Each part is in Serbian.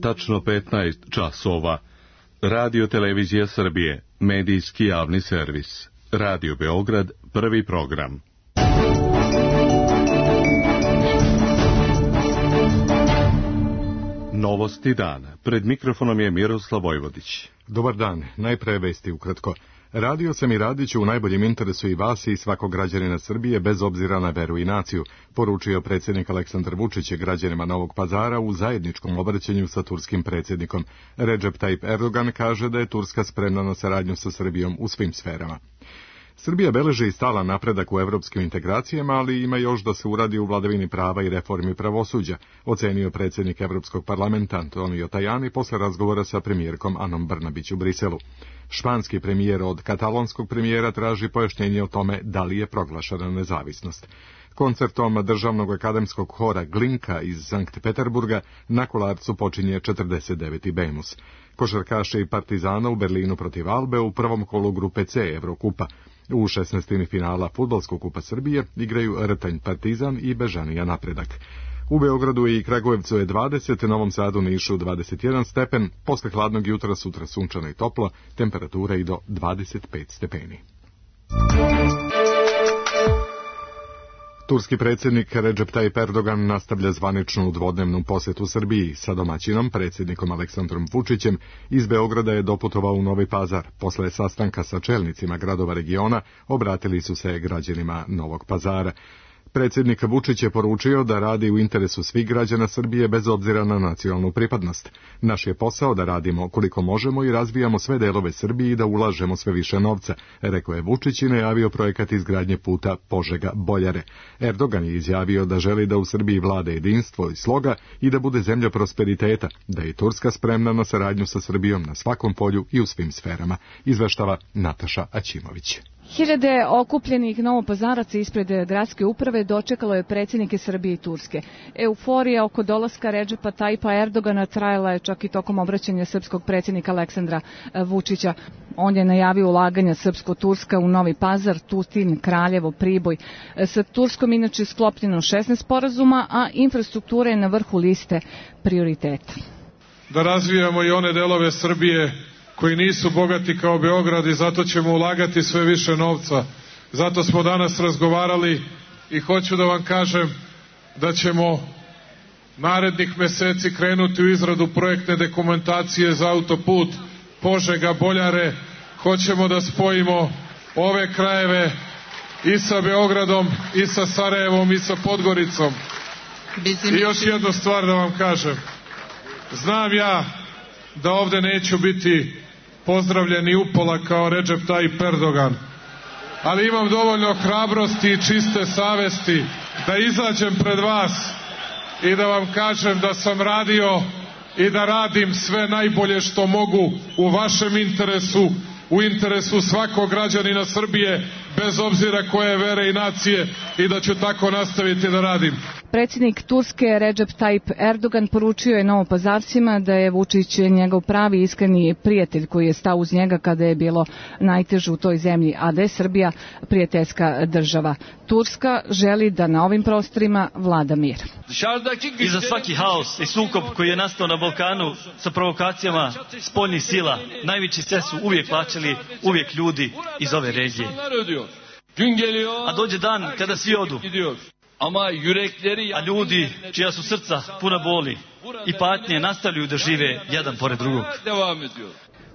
tačno 15 časova. Radio Televizija Srbije, medijski javni servis. Radio Beograd, prvi program. Novosti dana. Pred mikrofonom je Miroslav Vojvodić. Dobar dan, najpre vesti ukratko. Radio sam i radit ću u najboljem interesu i vas i svakog građanina Srbije bez obzira na veru i naciju, poručio predsjednik Aleksandar Vučić građanima Novog Pazara u zajedničkom obraćanju sa turskim predsjednikom. Recep Tayyip Erdogan kaže da je Turska spremna na saradnju sa Srbijom u svim sferama. Srbija beleži i stalan napredak u evropskim integracijama, ali ima još da se uradi u vladavini prava i reformi pravosuđa, ocenio predsjednik Evropskog parlamenta Antonio Tajani posle razgovora sa premijerkom Anom Brnabić u Briselu. Španski premijer od katalonskog premijera traži pojašnjenje o tome da li je proglašena nezavisnost. Koncertom državnog akademskog hora Glinka iz Sankt Peterburga na Kolarcu počinje 49. Bemus. Košarkaši Partizana u Berlinu protiv Albe u prvom kolu grupe C Evrokupa. U 16. finala Fudbalskog kupa Srbije igraju Rtanj Partizan i Bežanija Napredak. U Beogradu i Kragujevcu je 20, Novom Sadu, Nišu 21 stepen, posle hladnog jutra sutra sunčano i toplo, temperatura i do 25 stepeni. Turski predsjednik Recep Tayyip Erdogan nastavlja zvaničnu dvodnevnu posjetu Srbiji. Sa domaćinom, predsjednikom Aleksandrom Vučićem, iz Beograda je doputovao u Novi Pazar. Posle sastanka sa čelnicima gradova regiona, obratili su se građanima Novog Pazara. Predsjednik Vučić je poručio da radi u interesu svih građana Srbije bez obzira na nacionalnu pripadnost. Naš je posao da radimo koliko možemo i razvijamo sve delove Srbije i da ulažemo sve više novca, rekao je Vučić i najavio projekat izgradnje puta Požega-Boljare. Erdogan je izjavio da želi da u Srbiji vlada jedinstvo i sloga i da bude zemlja prosperiteta, da je Turska spremna na saradnju sa Srbijom na svakom polju i u svim sferama, izveštava Nataša Aćimović. Hiljade okupljenih novopazaraca ispred gradske uprave dočekalo je predsjednike Srbije i Turske. Euforija oko dolaska Recepa Tayyipa Erdogana trajala je čak i tokom obraćanja srpskog predsjednika Aleksandra Vučića. On je najavio ulaganja srpsko-turska u Novi Pazar, Tutin, Kraljevo, Priboj. Sa Turskom inače sklopljeno 16 sporazuma, a infrastruktura je na vrhu liste prioriteta. Da razvijamo i one delove Srbije koji nisu bogati kao Beograd i zato ćemo ulagati sve više novca. Zato smo danas razgovarali i hoću da vam kažem da ćemo narednih meseci krenuti u izradu projektne dokumentacije za autoput Požega-Boljare. Hoćemo da spojimo ove krajeve i sa Beogradom, i sa Sarajevom, i sa Podgoricom. I još jednu stvar da vam kažem. Znam ja da ovde neću biti pozdravljeni upola kao Recep Tayyip Erdogan, ali imam dovoljno hrabrosti i čiste savesti da izađem pred vas i da vam kažem da sam radio i da radim sve najbolje što mogu u vašem interesu, u interesu svakog građanina Srbije, bez obzira koje vere i nacije, i da ću tako nastaviti da radim. Predsjednik Turske Recep Tayyip Erdogan poručio je Novopazarcima da je Vučić njegov pravi iskreni prijatelj koji je stao uz njega kada je bilo najteže u toj zemlji, a da je Srbija prijateljska država. Turska želi da na ovim prostorima vlada mir. I za svaki haos i sukob koji je nastao na Balkanu sa provokacijama spoljnih sila, najveći ceh su uvijek plaćali uvijek ljudi iz ove regije. A dođe dan kada svi odu. A ljudi čija su srca puna boli i patnje nastavljaju da žive jedan pored drugog.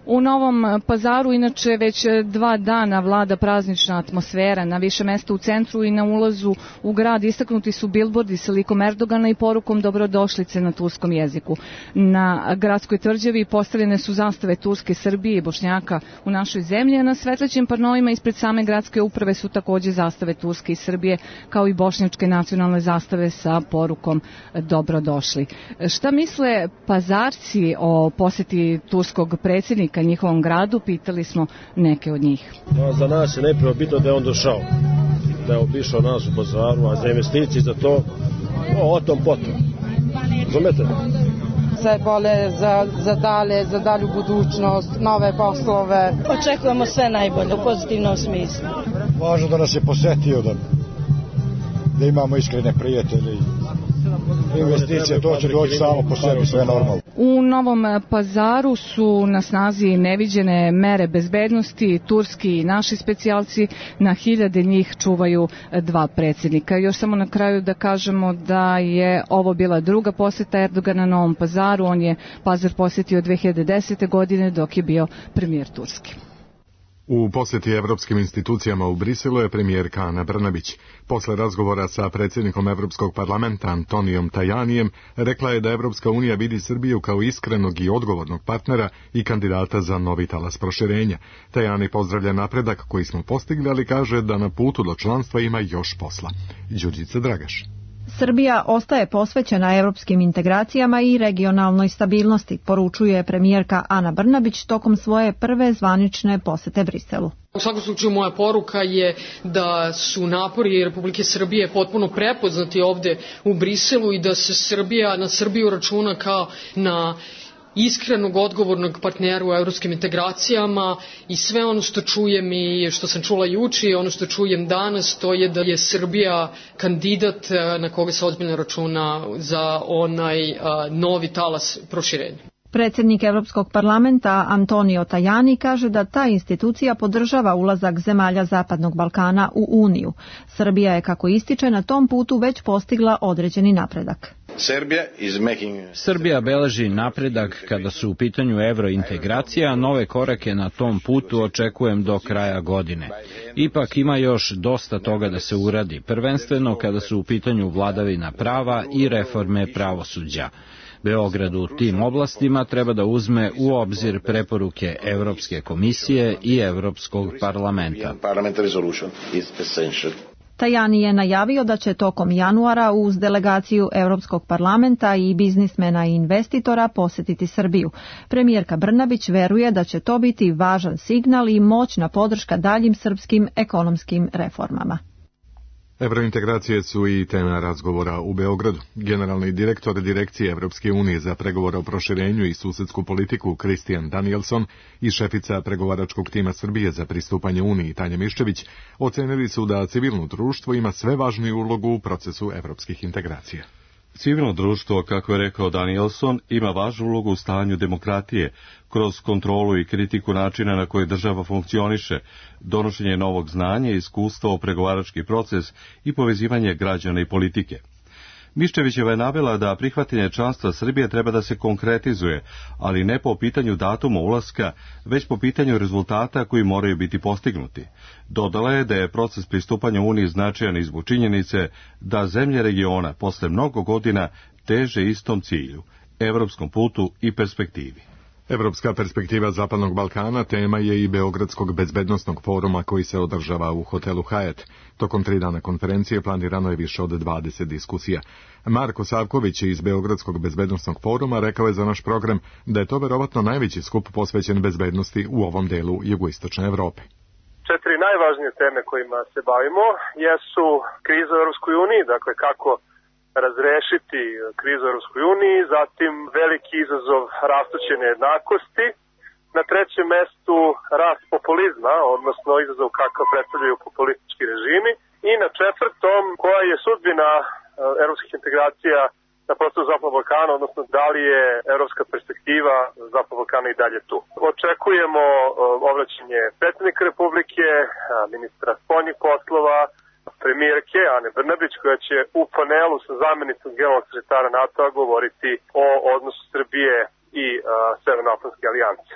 U Novom Pazaru inače već 2 dana vlada praznična atmosfera. Na više mesta u centru i na ulazu u grad istaknuti su bilbordi sa likom Erdogana i porukom dobrodošlice na turskom jeziku. Na gradskoj tvrđavi postavljene su zastave Turske, Srbije i Bošnjaka u našoj zemlji, a na svetlećim panoima ispred same gradske uprave su takođe zastave Turske i Srbije, kao i bošnjačke nacionalne zastave sa porukom dobrodošli. Šta misle Pazarci o posjeti turskog predsjednika njihovom gradu, pitali smo neke od njih. Za nas je najprije bitno da je on došao, da je obišao nas u Pazaru, a za investicije za to, o tom potom. Razumete? Sve bolje za dalju budućnost, nove poslove. Očekujemo sve najbolje u pozitivnom smislu. Važno da nas je posetio, da imamo iskrene prijatelje. investicije, to će doći samo po sebi, sve normalno. U Novom Pazaru su na snazi neviđene mere bezbednosti, turski i naši specijalci, na hiljade njih čuvaju dva predsjednika. Još samo na kraju da kažemo da je ovo bila druga posjeta Erdogana Novom Pazaru, on je Pazar posjetio 2010. godine dok je bio premijer Turski. U posjeti evropskim institucijama u Briselu je premijerka Ana Brnabić. Posle razgovora sa predsjednikom Evropskog parlamenta Antonijom Tajanijem rekla je da Evropska unija vidi Srbiju kao iskrenog i odgovornog partnera i kandidata za novi talas proširenja. Tajani pozdravlja napredak koji smo postigli, ali kaže da na putu do članstva ima još posla. Đurđica Dragaš. Srbija ostaje posvećena evropskim integracijama i regionalnoj stabilnosti, poručuje premijerka Ana Brnabić tokom svoje prve zvanične posete Briselu. U svakom slučaju moja poruka je da su napori Republike Srbije potpuno prepoznati ovde u Briselu i da se na Srbiju računa kao na iskrenog, odgovornog partnera u evropskim integracijama i sve ono što čujem i što sam čula juče i ono što čujem danas, to je da je Srbija kandidat na koga se ozbiljno računa za onaj novi talas proširenja. Predsjednik Evropskog parlamenta Antonio Tajani kaže da ta institucija podržava ulazak zemalja Zapadnog Balkana u Uniju. Srbija je, kako ističe, na tom putu već postigla određeni napredak. Srbija beleži napredak kada su u pitanju evrointegracija, a nove korake na tom putu očekujem do kraja godine. Ipak ima još dosta toga da se uradi, prvenstveno kada su u pitanju vladavina prava i reforme pravosuđa. Beograd u tim oblastima treba da uzme u obzir preporuke Evropske komisije i Evropskog parlamenta. Tajani je najavio da će tokom januara uz delegaciju Evropskog parlamenta i biznismena i investitora posjetiti Srbiju. Premijerka Brnabić veruje da će to biti važan signal i moćna podrška daljim srpskim ekonomskim reformama. Evrointegracije su i tema razgovora u Beogradu. Generalni direktor Direkcije Evropske unije za pregovore o proširenju i susedsku politiku Kristijan Danielson i šefica pregovaračkog tima Srbije za pristupanje Uniji Tanja Miščević ocenili su da civilno društvo ima sve važniju ulogu u procesu evropskih integracija. Civilno društvo, kako je rekao Danielson, ima važnu ulogu u stanju demokratije, kroz kontrolu i kritiku načina na koji država funkcioniše, donošenje novog znanja i iskustva o pregovarački proces i povezivanje građana i politike. Miščevićeva je navela da prihvatanje članstva Srbije treba da se konkretizuje, ali ne po pitanju datuma ulaska, već po pitanju rezultata koji moraju biti postignuti. Dodala je da je proces pristupanja Uniji značajan i zbog činjenice da zemlje regiona posle mnogo godina teže istom cilju, evropskom putu i perspektivi. Evropska perspektiva Zapadnog Balkana tema je i Beogradskog bezbednosnog foruma koji se održava u hotelu Hyatt. Tokom 3 dana konferencije planirano je više od 20 diskusija. Marko Savković iz Beogradskog bezbednosnog foruma rekao je za naš program da je to verovatno najveći skup posvećen bezbednosti u ovom delu jugoistočne Evrope. 4 najvažnije teme kojima se bavimo jesu kriza u Europskoj uniji, dakle kako razrešiti krizu u Europskoj uniji, zatim veliki izazov rastuće nejednakosti, na 3. mestu rast populizma, odnosno izazov kakav predstavljaju populistički režimi, i na 4. koja je sudbina evropskih integracija na prostoru Zapadnog Balkana, odnosno da li je evropska perspektiva Zapadnog Balkana i dalje tu. Očekujemo obraćanje predsjednika Republike, ministra spoljnih poslova, premijerke Ane Brnabić, koja će u panelu sa zamjenicom generalnog sekretara NATO-a govoriti o odnosu Srbije i Severnoatlantske alijanse.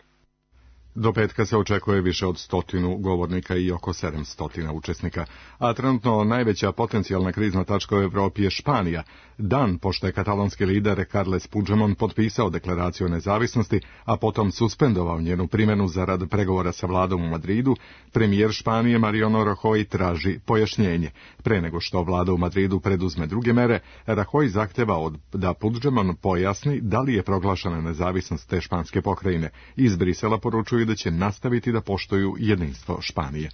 Do petka se očekuje više od 100 govornika i oko 700 učesnika, a trenutno najveća potencijalna krizna tačka u Evropi je Španija. Dan pošto je katalonski lider Carles Puigdemont potpisao deklaraciju o nezavisnosti, a potom suspendovao njenu primjenu zarad pregovora sa vladom u Madridu, premijer Španije Mariano Rajoy traži pojašnjenje. Pre nego što vlada u Madridu preduzme druge mere, Rajoy zahteva da Puigdemont pojasni da li je proglašena nezavisnost te španske pokrajine. Iz Brisela poručuju da će nastaviti da poštuju jedinstvo Španije.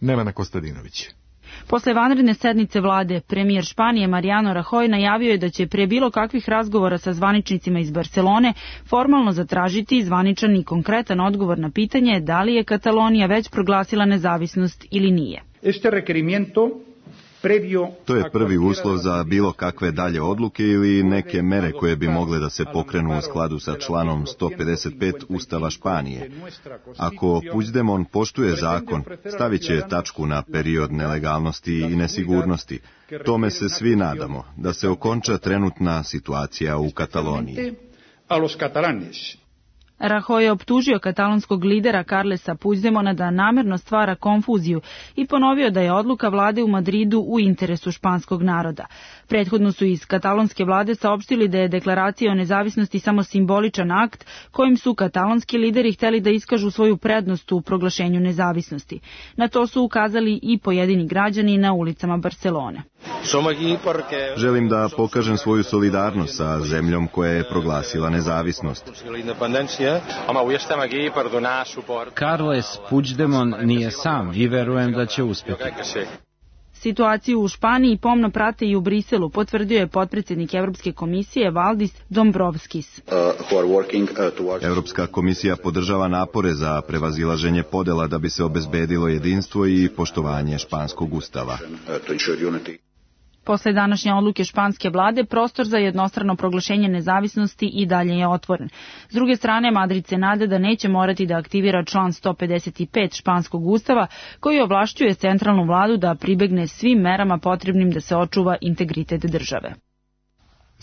Nevena Kostadinović. Posle vanredne sednice vlade, premijer Španije Mariano Rajoy najavio je da će pre bilo kakvih razgovora sa zvaničnicima iz Barcelone formalno zatražiti zvaničan i konkretan odgovor na pitanje da li je Katalonija već proglasila nezavisnost ili nije. Este requerimiento To je prvi uslov za bilo kakve dalje odluke ili neke mere koje bi mogle da se pokrenu u skladu sa članom 155 Ustava Španije. Ako Puigdemont poštuje zakon, stavit će tačku na period nelegalnosti i nesigurnosti. Tome se svi nadamo, da se okonča trenutna situacija u Kataloniji. Rajoy je optužio katalonskog lidera Carlesa Puigdemona da namerno stvara konfuziju i ponovio da je odluka vlade u Madridu u interesu španskog naroda. Prethodno su iz katalonske vlade saopštili da je deklaracija o nezavisnosti samo simboličan akt kojim su katalonski lideri hteli da iskažu svoju prednost u proglašenju nezavisnosti. Na to su ukazali i pojedini građani na ulicama Barcelone. Želim da pokažem svoju solidarnost sa zemljom koja je proglasila nezavisnost. Carles Puigdemont nije sam i verujem da će uspjeti. Situaciju u Španiji pomno prate i u Briselu, potvrdio je potpredsjednik Evropske komisije Valdis Dombrovskis. Evropska komisija podržava napore za prevazilaženje podela da bi se obezbedilo jedinstvo i poštovanje španskog ustava. Posle današnje odluke španske vlade, prostor za jednostrano proglašenje nezavisnosti i dalje je otvoren. S druge strane, Madrid se nada da neće morati da aktivira član 155 španskog ustava, koji ovlašćuje centralnu vladu da pribegne svim merama potrebnim da se očuva integritet države.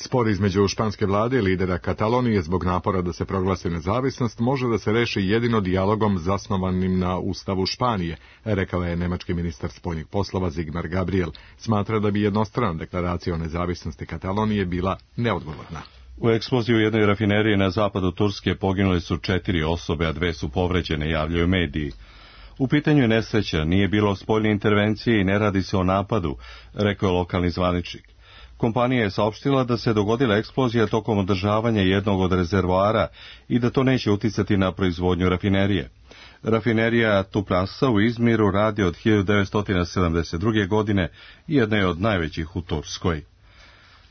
Spor između španske vlade i lidera Katalonije zbog napora da se proglasi nezavisnost može da se reši jedino dijalogom zasnovanim na Ustavu Španije, rekao je nemački ministar spoljnih poslova Sigmar Gabriel. Smatra da bi jednostrana deklaracija o nezavisnosti Katalonije bila neodgovorna. U eksploziji u jednoj rafineriji na zapadu Turske poginule su 4 osobe, a 2 su povređene, javljaju mediji. U pitanju je nesreća, nije bilo spoljne intervencije i ne radi se o napadu, rekao je lokalni zvaničnik. Kompanija je saopštila da se dogodila eksplozija tokom održavanja jednog od rezervoara i da to neće uticati na proizvodnju rafinerije. Rafinerija Tuprasa u Izmiru radi od 1972. godine i jedna je od najvećih u Turskoj.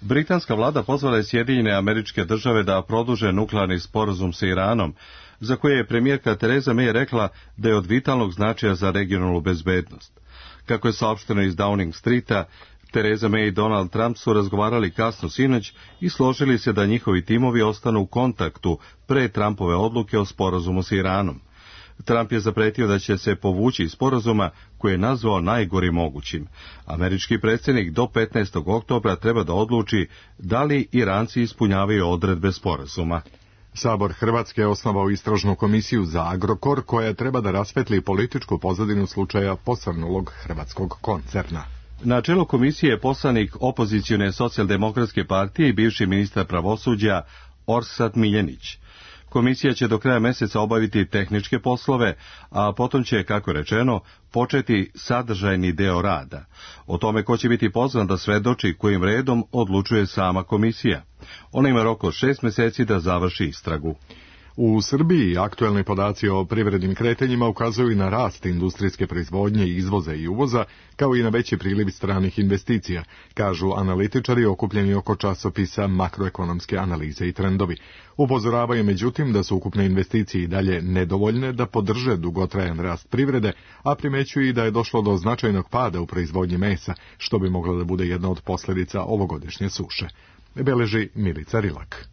Britanska vlada pozvala je Sjedinjene Američke Države da produže nuklearni sporazum sa Iranom, za koje je premijerka Theresa May rekla da je od vitalnog značaja za regionalnu bezbednost. Kako je saopšteno iz Downing Streeta, Theresa May i Donald Trump su razgovarali kasno sinoć i složili se da njihovi timovi ostanu u kontaktu pre Trumpove odluke o sporazumu sa Iranom. Trump je zapretio da će se povući iz sporazuma koji je nazvao najgorim mogućim. Američki predsjednik do 15. oktobra treba da odluči da li Iranci ispunjavaju odredbe sporazuma. Sabor Hrvatske je osnovao istražnu komisiju za Agrokor koja treba da rasvetli političku pozadinu slučaja posrnulog hrvatskog koncerna. Na čelu komisije je poslanik opozicione socijaldemokratske partije i bivši ministar pravosuđa Orsat Miljenić. Komisija će do kraja meseca obaviti tehničke poslove, a potom će, kako rečeno, početi sadržajni deo rada. O tome ko će biti pozvan da svedoči kojim redom odlučuje sama komisija. Ona ima rok od 6 meseci da završi istragu. U Srbiji aktuelni podaci o privrednim kretanjima ukazuju i na rast industrijske proizvodnje, izvoza i uvoza, kao i na veći priliv stranih investicija, kažu analitičari okupljeni oko časopisa Makroekonomske analize i trendovi. Upozoravaju međutim da su ukupne investicije i dalje nedovoljne da podrže dugotrajan rast privrede, a primećuju i da je došlo do značajnog pada u proizvodnji mesa, što bi moglo da bude jedna od posljedica ovogodišnje suše. Beleži Milica Rilak.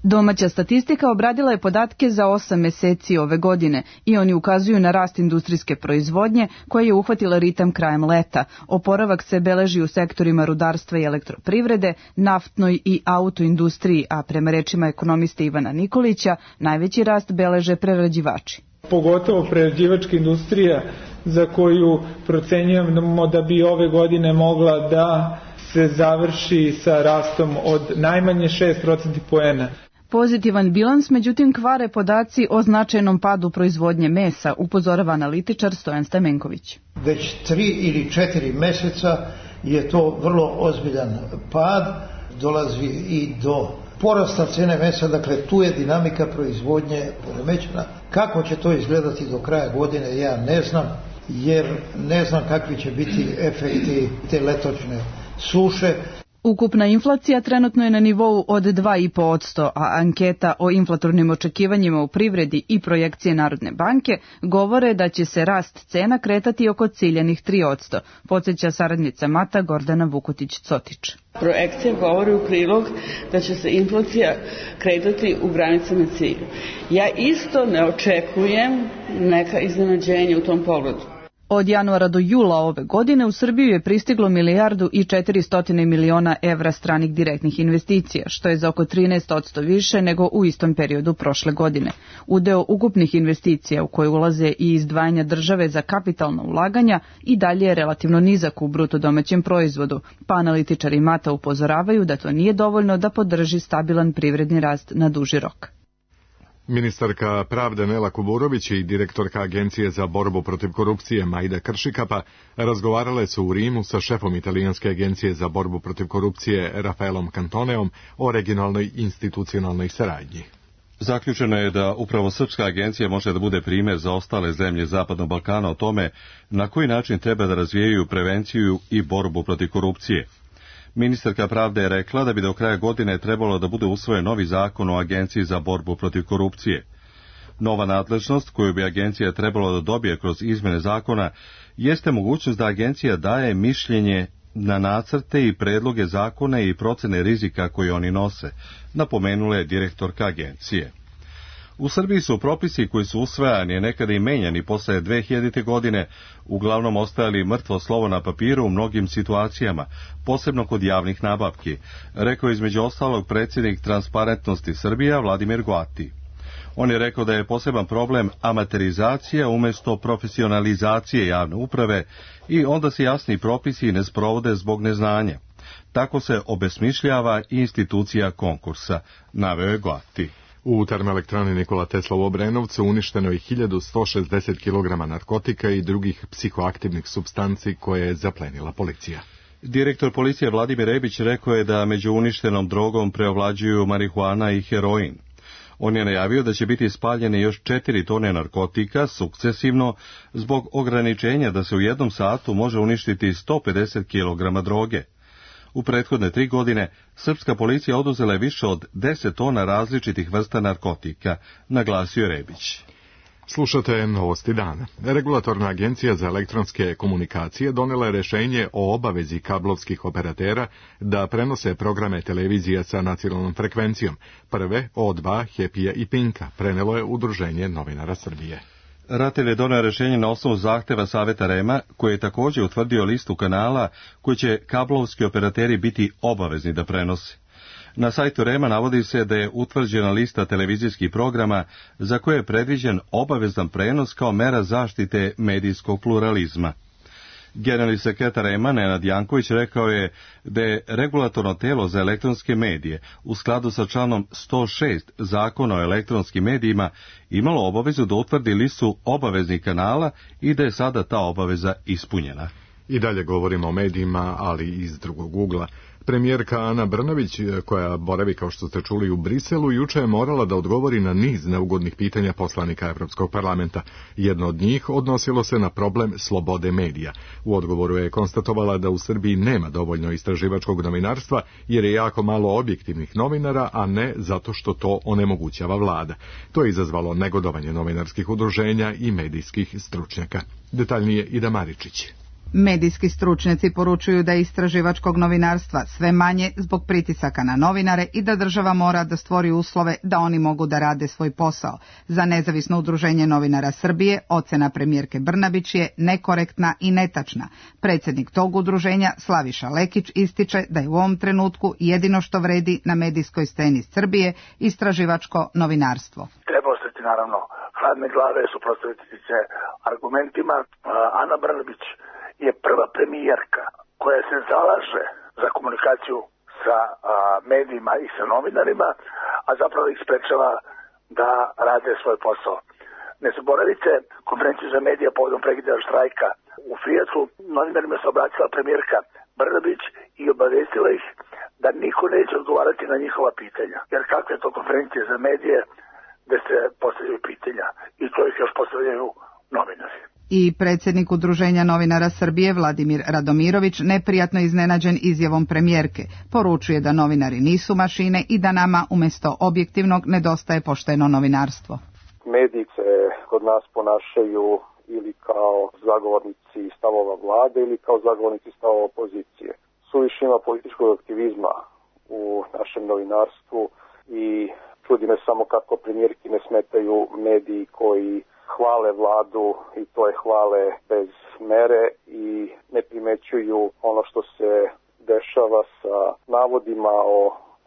Domaća statistika obradila je podatke za 8 meseci ove godine i oni ukazuju na rast industrijske proizvodnje koja je uhvatila ritam krajem leta. Oporavak se beleži u sektorima rudarstva i elektroprivrede, naftnoj i autoindustriji, a prema rečima ekonomiste Ivana Nikolića, najveći rast beleže prerađivači. Pogotovo prerađivačka industrija za koju procenjujemo da bi ove godine mogla da se završi sa rastom od najmanje 6% poena. Pozitivan bilans, međutim, kvare podaci o značajnom padu proizvodnje mesa, upozorava analitičar Stojan Stamenković. Već 3 ili 4 meseca je to vrlo ozbiljan pad, dolazi i do porasta cene mesa, dakle tu je dinamika proizvodnje poremećena. Kako će to izgledati do kraja godine, ja ne znam, jer ne znam kakvi će biti efekti te letočne suše. Ukupna inflacija trenutno je na nivou od 2,5%, a anketa o inflatornim očekivanjima u privredi i projekcije Narodne banke govore da će se rast cena kretati oko ciljanih 3%, podsjeća saradnica Mata Gordana Vukotić-Cotić. Projekcija govori u prilog da će se inflacija kretati u granicama cilja. Ja isto ne očekujem neka iznenađenja u tom pogledu. Od januara do jula ove godine u Srbiju je pristiglo 1,4 milijarde evra stranih direktnih investicija, što je za oko 13% više nego u istom periodu prošle godine. Udeo ukupnih investicija u koje ulaze i izdvajanja države za kapitalna ulaganja i dalje je relativno nizak u bruto domaćem proizvodu, pa analitičari Mata upozoravaju da to nije dovoljno da podrži stabilan privredni rast na duži rok. Ministarka pravde Nela Kuburović i direktorka Agencije za borbu protiv korupcije Majda Kršikapa razgovarale su u Rimu sa šefom Italijanske agencije za borbu protiv korupcije Rafaelom Cantoneom o regionalnoj institucionalnoj saradnji. Zaključeno je da upravo Srpska agencija može da bude primjer za ostale zemlje Zapadnog Balkana o tome na koji način treba da razvijaju prevenciju i borbu protiv korupcije. Ministarka pravde je rekla da bi do kraja godine trebalo da bude usvojen novi zakon o Agenciji za borbu protiv korupcije. Nova nadležnost koju bi agencija trebalo da dobije kroz izmene zakona jeste mogućnost da agencija daje mišljenje na nacrte i predloge zakona i procene rizika koje oni nose, napomenula je direktorka agencije. U Srbiji su propisi koji su usvajani, nekada i menjani posle 2000. godine, uglavnom ostajali mrtvo slovo na papiru u mnogim situacijama, posebno kod javnih nabavki, rekao između ostalog predsjednik Transparentnosti Srbija Vladimir Goati. On je rekao da je poseban problem amaterizacija umjesto profesionalizacije javne uprave i onda se jasni propisi ne sprovode zbog neznanja. Tako se obesmišljava institucija konkursa, naveo je Goati. U termoelektrani Nikola Tesla u Obrenovcu uništeno je 1160 kg narkotika i drugih psihoaktivnih supstanci koje je zaplenila policija. Direktor policije Vladimir Rebić rekao je da među uništenom drogom preovlađuju marihuana i heroin. On je najavio da će biti spaljene još 4 tone narkotika sukcesivno zbog ograničenja da se u jednom satu može uništiti 150 kg droge. U prethodne 3 godine srpska policija oduzela je više od 10 tona različitih vrsta narkotika, naglasio je Rebić. Slušate Novosti dana. Regulatorna agencija za elektronske komunikacije donela je rešenje o obavezi kablovskih operatera da prenose programe televizija sa nacionalnom frekvencijom. Prve, O2, Happy-a i Pinka, prenelo je Udruženje novinara Srbije. RATEL je doneo rešenje na osnovu zahteva Saveta REM-a, koji je također utvrdio listu kanala koji će kablovski operateri biti obavezni da prenose. Na sajtu REM-a navodi se da je utvrđena lista televizijskih programa za koje je predviđen obavezan prenos kao mera zaštite medijskog pluralizma. Generalni sekretar REM-a Nenad Janković rekao je da je regulatorno telo za elektronske medije u skladu sa članom 106 Zakona o elektronskim medijima imalo obavezu da utvrdi listu obaveznih kanala i da je sada ta obaveza ispunjena. I dalje govorimo o medijima, ali iz drugog ugla. Premijerka Ana Brnabić, koja boravi, kao što ste čuli, u Briselu, juče je morala da odgovori na niz neugodnih pitanja poslanika Evropskog parlamenta. Jedno od njih odnosilo se na problem slobode medija. U odgovoru je konstatovala da u Srbiji nema dovoljno istraživačkog novinarstva, jer je jako malo objektivnih novinara, a ne zato što to onemogućava vlada. To je izazvalo negodovanje novinarskih udruženja i medijskih stručnjaka. Detaljnije Ida Maričić. Medijski stručnjaci poručuju da je istraživačkog novinarstva sve manje zbog pritisaka na novinare i da država mora da stvori uslove da oni mogu da rade svoj posao. Za Nezavisno udruženje novinara Srbije ocena premijerke Brnabić je nekorektna i netačna. Predsjednik tog udruženja Slaviša Lekić ističe da je u ovom trenutku jedino što vredi na medijskoj sceni Srbije istraživačko novinarstvo. Treba ostati naravno hladne glave, suprotstaviti se argumentima. Ana Brnabić je prva premijerka koja se zalaže za komunikaciju sa medijima i sa novinarima, a zapravo ih sprečava da rade svoj posao. Ne zaboravite konferenciju za medije povodom prekida štrajka u Fijatu. Novinarima se obratila premijerka Brnabić i obavestila ih da niko neće odgovarati na njihova pitanja. Jer kakve je to konferencije za medije gde se postavljaju pitanja i to ih još postavljaju novinari. I predsjednik Udruženja novinara Srbije Vladimir Radomirović neprijatno iznenađen izjavom premijerke. Poručuje da novinari nisu mašine i da nama umjesto objektivnog nedostaje pošteno novinarstvo. Mediji se kod nas ponašaju ili kao zagovornici stavova vlade ili kao zagovornici stavova opozicije. Suviše ima političkog aktivizma u našem novinarstvu i čudi me samo kako premijerki ne smetaju mediji koji hvale vladu i to je hvale bez mere i ne primećuju ono što se dešava sa navodima o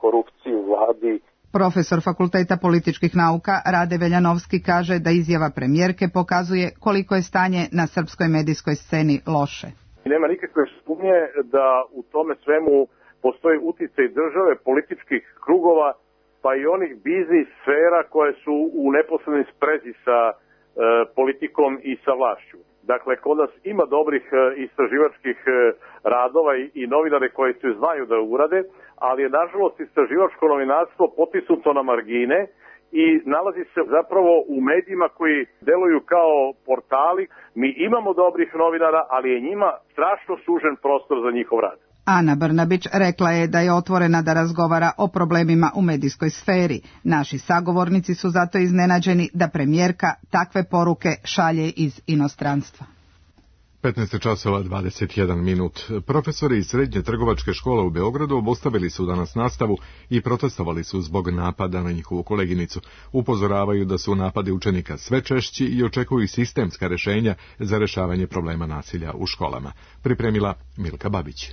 korupciji u vladi. Profesor Fakulteta političkih nauka Rade Veljanovski kaže da izjava premijerke pokazuje koliko je stanje na srpskoj medijskoj sceni loše. Nema nikakve sumnje da u tome svemu postoji uticaj države, političkih krugova, pa i onih biznis sfera koje su u neposrednoj sprezi sa politikom i sa vlašću. Dakle, kod nas ima dobrih istraživačkih radova i novinare koji se znaju da urade, ali je nažalost istraživačko novinarstvo potisnuto na margine i nalazi se zapravo u medijima koji deluju kao portali. Mi imamo dobrih novinara, ali je njima strašno sužen prostor za njihov rad. Ana Brnabić rekla je da je otvorena da razgovara o problemima u medijskoj sferi. Naši sagovornici su zato iznenađeni da premijerka takve poruke šalje iz inostranstva. 15:21. Profesori iz Srednje trgovačke škole u Beogradu obustavili su danas nastavu i protestovali su zbog napada na njihovu koleginicu. Upozoravaju da su napadi učenika sve češći i očekuju sistemska rješenja za rješavanje problema nasilja u školama. Pripremila Milka Babić.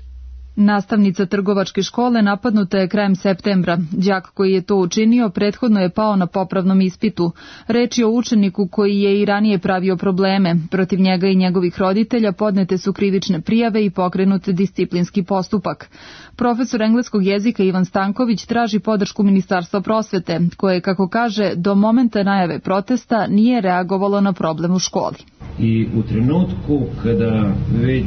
Nastavnica trgovačke škole napadnuta je krajem septembra. Đak koji je to učinio prethodno je pao na popravnom ispitu. Reč je o učeniku koji je i ranije pravio probleme. Protiv njega i njegovih roditelja podnete su krivične prijave i pokrenut disciplinski postupak. Profesor engleskog jezika Ivan Stanković traži podršku Ministarstva prosvete, koje, kako kaže, do momenta najave protesta nije reagovalo na problem u školi. I u trenutku kada već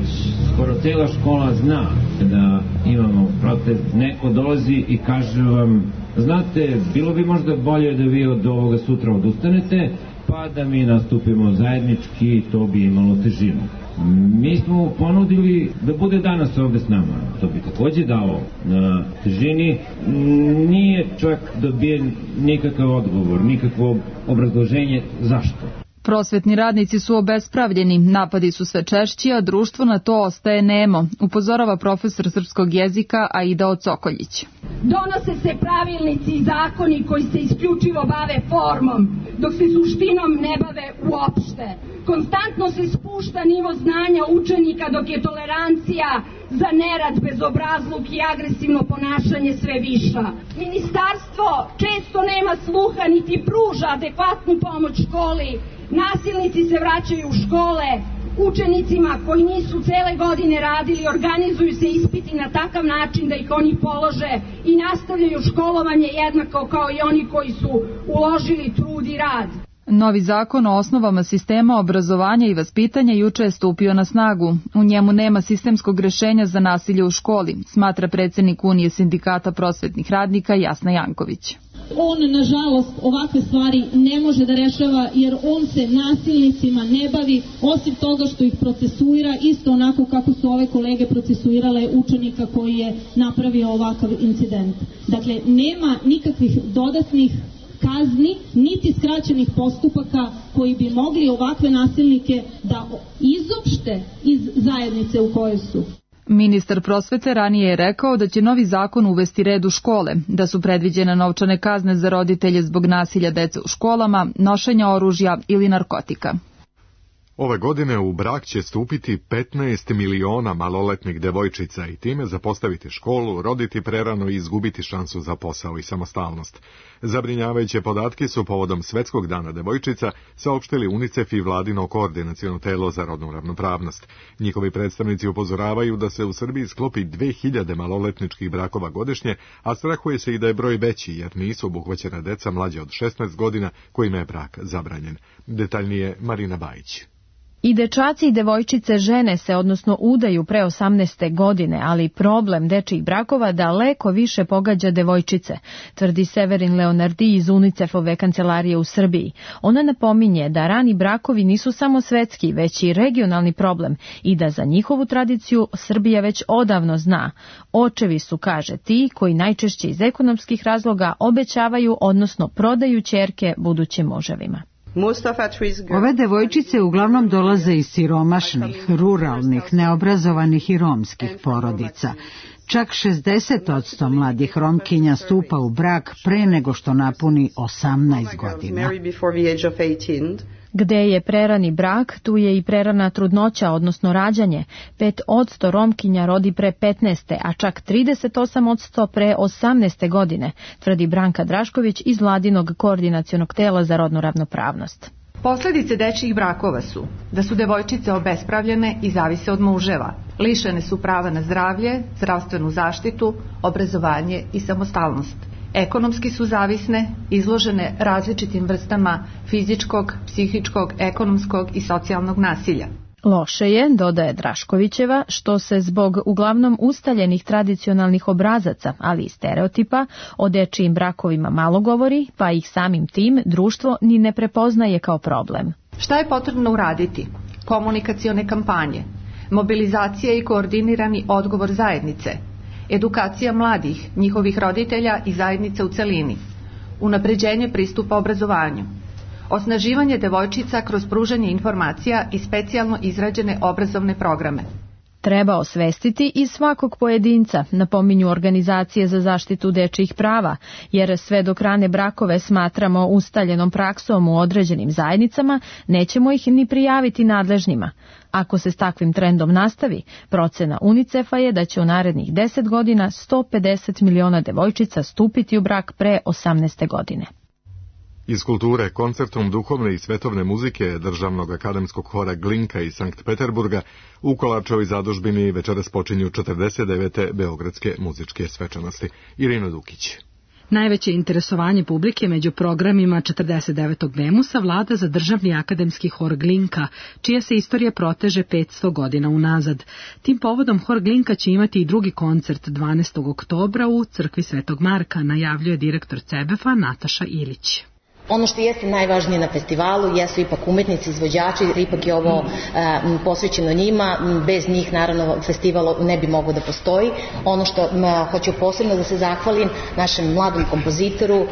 skoro cela škola zna da imamo protest, neko dolazi i kaže vam, znate, bilo bi možda bolje da vi od ovoga sutra odustanete, pa da mi nastupimo zajednički, to bi imalo težinu. Mi smo ponudili da bude danas ovde s nama, to bi takođe dao na težini, nije čak dobijen nikakav odgovor, nikakvo obrazloženje zašto. Prosvetni radnici su obespravljeni, napadi su sve češći, a društvo na to ostaje nemo, upozorava profesor srpskog jezika Aida Ocokoljić. Donose se pravilnici i zakoni koji se isključivo bave formom, dok se suštinom ne bave uopšte. Konstantno se spušta nivo znanja učenika dok je tolerancija za nerad, bezobrazluk i agresivno ponašanje sve viša. Ministarstvo često nema sluha niti pruža adekvatnu pomoć školi. Nasilnici se vraćaju u škole, učenicima koji nisu cele godine radili organizuju se ispiti na takav način da ih oni polože i nastavljaju školovanje jednako kao i oni koji su uložili trud i rad. Novi zakon o osnovama sistema obrazovanja i vaspitanja juče je stupio na snagu. U njemu nema sistemskog rešenja za nasilje u školi, smatra predsjednik Unije sindikata prosvetnih radnika Jasna Janković. On, nažalost, ovakve stvari ne može da rešava jer on se nasilnicima ne bavi, osim toga što ih procesuira isto onako kako su ove kolege procesuirale učenika koji je napravio ovakav incident. Dakle, nema nikakvih dodatnih kazni, niti skraćenih postupaka koji bi mogli ovakve nasilnike da izopšte iz zajednice u kojoj su. Ministar prosvete ranije je rekao da će novi zakon uvesti red u škole, da su predviđene novčane kazne za roditelje zbog nasilja dece u školama, nošenja oružja ili narkotika. Ove godine u brak će stupiti 15 miliona maloletnih devojčica i time zapostaviti školu, roditi prerano i izgubiti šansu za posao i samostalnost. Zabrinjavajuće podatke su povodom Svetskog dana devojčica saopštili UNICEF i vladino koordinaciono telo za rodnu ravnopravnost. Njihovi predstavnici upozoravaju da se u Srbiji sklopi 2000 maloletničkih brakova godišnje, a strahuje se i da je broj veći jer nisu obuhvaćena deca mlađe od 16 godina kojima je brak zabranjen. Detaljnije Marina Bajić. I dečaci i devojčice žene se, odnosno udaju pre 18. godine, ali problem dečijih brakova daleko više pogađa devojčice, tvrdi Severin Leonardi iz UNICEF-ove kancelarije u Srbiji. Ona napominje da rani brakovi nisu samo svetski, već i regionalni problem i da za njihovu tradiciju Srbija već odavno zna. Očevi su, kaže, ti koji najčešće iz ekonomskih razloga obećavaju, odnosno prodaju ćerke budućim muževima. Ove devojčice uglavnom dolaze iz siromašnih, ruralnih, neobrazovanih i romskih porodica. Čak 60% mladih Romkinja stupa u brak pre nego što napuni 18 godina. Gde je prerani brak, tu je i prerana trudnoća, odnosno rađanje. 5% Romkinja rodi pre 15. a čak 38% pre 18. godine, tvrdi Branka Drašković iz Vladinog koordinacionog tela za rodnu ravnopravnost. Posledice dečijih brakova su da su devojčice obespravljene i zavise od muževa. Lišene su prava na zdravlje, zdravstvenu zaštitu, obrazovanje i samostalnost. Ekonomski su zavisne, izložene različitim vrstama fizičkog, psihičkog, ekonomskog i socijalnog nasilja. Loše je, dodaje Draškovićeva, što se zbog uglavnom ustaljenih tradicionalnih obrazaca, ali i stereotipa, o dečijim brakovima malo govori, pa ih samim tim društvo ni ne prepoznaje kao problem. Šta je potrebno uraditi? Komunikacione kampanje, mobilizacija i koordinirani odgovor zajednice, edukacija mladih, njihovih roditelja i zajednice u celini, unapređenje pristupa obrazovanju, osnaživanje devojčica kroz pružanje informacija i specijalno izrađene obrazovne programe. Treba osvestiti i svakog pojedinca, napominju organizacije za zaštitu dečijih prava, jer sve dok rane brakove smatramo ustaljenom praksom u određenim zajednicama, nećemo ih ni prijaviti nadležnima. Ako se s takvim trendom nastavi, procena UNICEF-a je da će u narednih 10 godina 150 miliona devojčica stupiti u brak pre 18. godine. Iz kulture, koncertom duhovne i svetovne muzike Državnog akademskog hora Glinka iz Sankt Peterburga u Kolačevoj zadužbini večeras počinju 49. Beogradske muzičke svečanosti. Irina Dukić. Najveće interesovanje publike među programima 49. Bemusa vlada za Državni akademski hor Glinka, čija se istorija proteže 500 godina unazad. Tim povodom hor Glinka će imati i drugi koncert 12. oktobra u crkvi Svetog Marka, najavljuje direktor CEBEF-a Nataša Ilić. Ono što jeste najvažnije na festivalu jesu ipak umetnici, izvođači, ipak je ovo posvećeno njima, bez njih naravno festival ne bi mogao da postoji. Ono što hoću posebno da se zahvalim našem mladom kompozitoru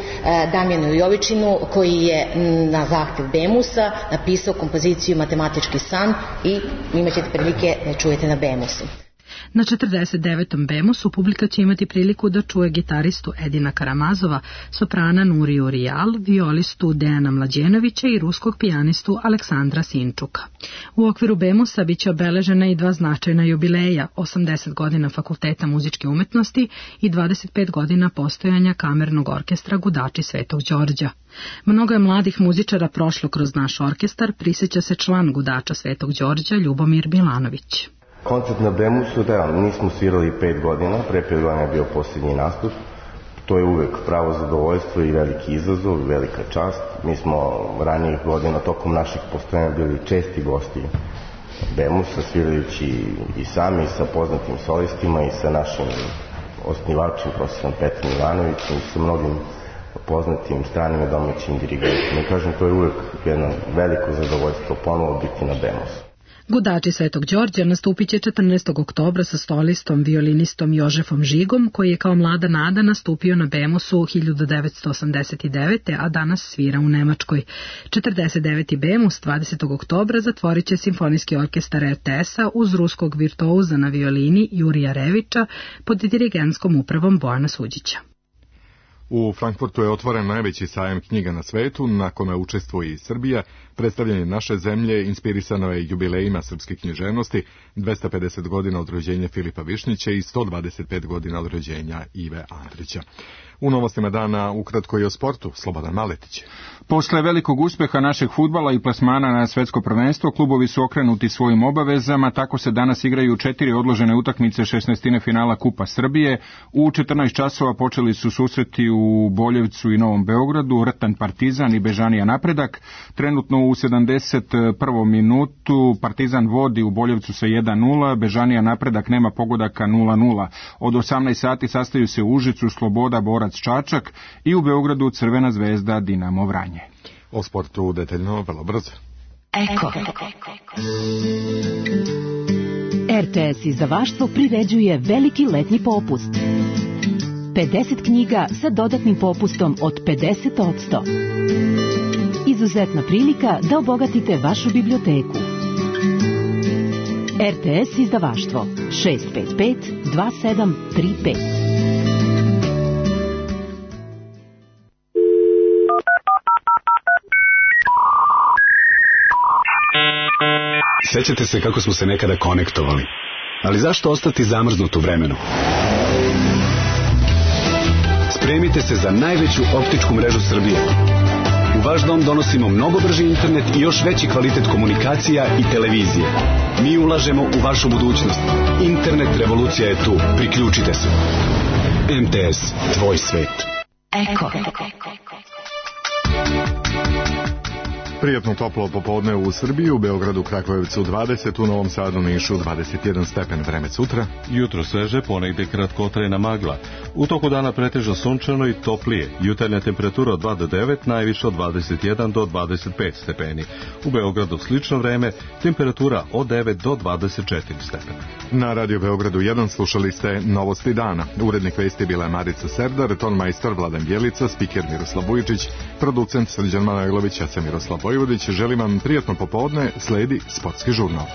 Damjanu Jovičinu, koji je na zahtev Bemusa napisao kompoziciju Matematički san i imat ćete prilike da čujete na Bemusu. Na 49. Bemusu publika će imati priliku da čuje gitaristu Edina Karamazova, soprana Nuriju Rijal, violistu Dejana Mlađenovića i ruskog pijanistu Aleksandra Sinčuka. U okviru Bemusa biće obeležena i dva značajna jubileja, 80 godina Fakulteta muzičke umetnosti i 25 godina postojanja kamernog orkestra Gudači Svetog Đorđa. Mnogo je mladih muzičara prošlo kroz naš orkestar, prisjeća se član Gudača Svetog Đorđa Ljubomir Milanović. Koncert na Bemusu, da, nismo svirali 5 godina, pre 5 godina je bio posljednji nastup. To je uvek pravo zadovoljstvo i veliki izazov, velika čast. Mi smo ranijih godina tokom naših postojanja bili česti gosti Bemusa, svirajući i sami sa poznatim solistima i sa našim osnivačem, profesorom Petrom Ivanovićem i sa mnogim poznatim stranim i domaćim dirigentima. I kažem, to je uvek jedno veliko zadovoljstvo ponovo biti na Bemusu. Gudači Svetog Đorđa nastupit će 14. oktobra sa solistom, violinistom Jožefom Žigom, koji je kao mlada nada nastupio na Bemusu 1989. a danas svira u Nemačkoj. 49. Bemus 20. oktobra zatvorit će Simfonijski orkestar RTS-a uz ruskog virtuoza na violini Jurija Revića pod dirigentskom upravom Bojana Suđića. U Frankfurtu je otvoren najveći sajam knjiga na svetu, na kome učestvuje i Srbija. Predstavljanje naše zemlje inspirisano je jubilejima srpske književnosti, 250 godina od rođenja Filipa Višnjića i 125 godina od rođenja Ive Andrića. U novostima dana ukratko i o sportu, Slobodan Maletić. Posle velikog uspeha našeg fudbala i plasmana na svetsko prvenstvo, klubovi su okrenuti svojim obavezama, tako se danas igraju 4 odložene utakmice 16. finala Kupa Srbije. U 14 časova počeli su susreti u Boljevcu i Novom Beogradu, Rtan Partizan i Bežanija Napredak. Trenutno u 71. minutu Partizan vodi u Boljevcu sa 1-0, Bežanija Napredak nema pogodaka 0-0. Od 18 sati sastaju se u Užicu Sloboda Borac Čačak i u Beogradu Crvena zvezda Dinamo Vranje. O sportu detaljno vrlo brzo. Eko. RTS izdavaštvo priređuje veliki letnji popust. 50 knjiga sa dodatnim popustom od 50%. Izuzetna prilika da obogatite vašu biblioteku. RTS izdavaštvo 655 2735. Sećate se kako smo se nekada konektovali, ali zašto ostati zamrznut u vremenu? Spremite se za najveću optičku mrežu Srbije. U vaš dom donosimo mnogo brži internet i još veći kvalitet komunikacija i televizije. Mi ulažemo u vašu budućnost. Internet revolucija je tu. Priključite se. MTS, tvoj svet. Eko. Prijatno toplo popodne u Srbiji, u Beogradu, Kragujevcu 20, u Novom Sadu, Nišu 21 stepen. Vreme sutra. Jutro sveže, ponegde kratkotrajna magla. U toku dana pretežno sunčano i toplije. Jutarnja temperatura od 2 do 9, najviše od 21 do 25 stepeni. U Beogradu slično vreme, temperatura od 9 do 24 stepena. Na Radio Beogradu 1 slušali ste Novosti dana. Urednik vesti bila je Marica Serdar, tonmajstor Vladan Bjelica, spiker Miroslav Vujičić, producent Srđan Manojlović, ja sam Miroslav Vojvodić. Želim vam prijatno popodne, sledi sportski žurnal.